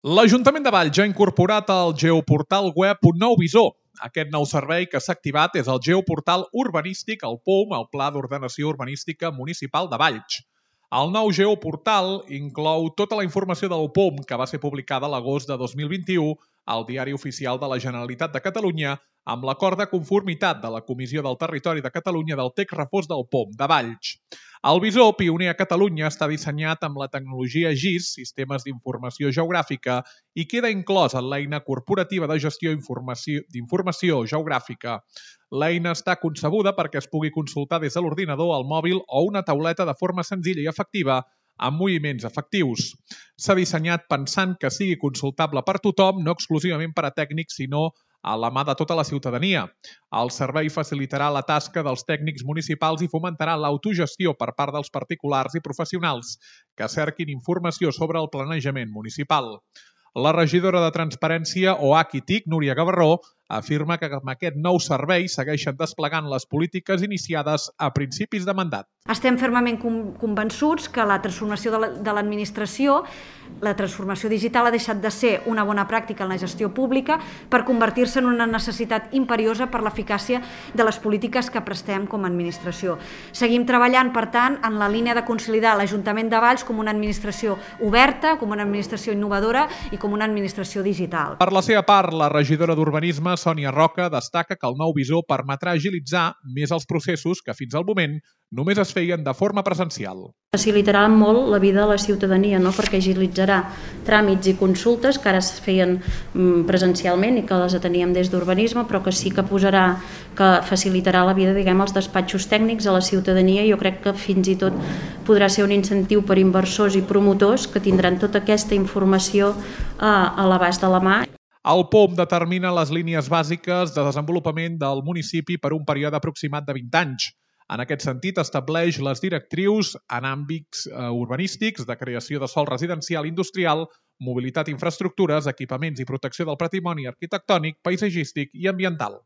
L'Ajuntament de Valls ha incorporat al geoportal web un nou visor. Aquest nou servei que s'ha activat és el geoportal urbanístic, el POUM, el Pla d'Ordenació Urbanística Municipal de Valls. El nou geoportal inclou tota la informació del POUM que va ser publicada a l'agost de 2021 al Diari Oficial de la Generalitat de Catalunya amb l'acord de conformitat de la Comissió del Territori de Catalunya del text refós del POUM de Valls. El visor, pioner a Catalunya, està dissenyat amb la tecnologia GIS, Sistemes d'Informació Geogràfica, i queda inclòs en l'eina corporativa de gestió d'informació geogràfica. L'eina està concebuda perquè es pugui consultar des de l'ordinador, el mòbil o una tauleta de forma senzilla i efectiva, amb moviments efectius. S'ha dissenyat pensant que sigui consultable per tothom, no exclusivament per a tècnics, sinó a la mà de tota la ciutadania. El servei facilitarà la tasca dels tècnics municipals i fomentarà l'autogestió per part dels particulars i professionals que cerquin informació sobre el planejament municipal. La regidora de Transparència, OH i TIC, Núria Gavarró, afirma que amb aquest nou servei segueixen desplegant les polítiques iniciades a principis de mandat. Estem fermament convençuts que la transformació de l'administració, la transformació digital ha deixat de ser una bona pràctica en la gestió pública per convertir-se en una necessitat imperiosa per l'eficàcia de les polítiques que prestem com a administració. Seguim treballant, per tant, en la línia de consolidar l'Ajuntament de Valls com una administració oberta, com una administració innovadora i com una administració digital. Per la seva part, la regidora d'Urbanisme, Sònia Roca, destaca que el nou visor permetrà agilitzar més els processos que fins al moment només es feien de forma presencial. Facilitarà molt la vida de la ciutadania, perquè agilitzarà tràmits i consultes que ara es feien presencialment i que les ateníem des d'Urbanisme, però que sí que facilitarà la vida, als despatxos tècnics, a la ciutadania. Jo crec que fins i tot podrà ser un incentiu per inversors i promotors que tindran tota aquesta informació a l'abast de la mà. El POUM determina les línies bàsiques de desenvolupament del municipi per un període aproximat de 20 anys. En aquest sentit, estableix les directrius en àmbits urbanístics de creació de sòl residencial industrial, mobilitat i infraestructures, equipaments i protecció del patrimoni arquitectònic, paisatgístic i ambiental.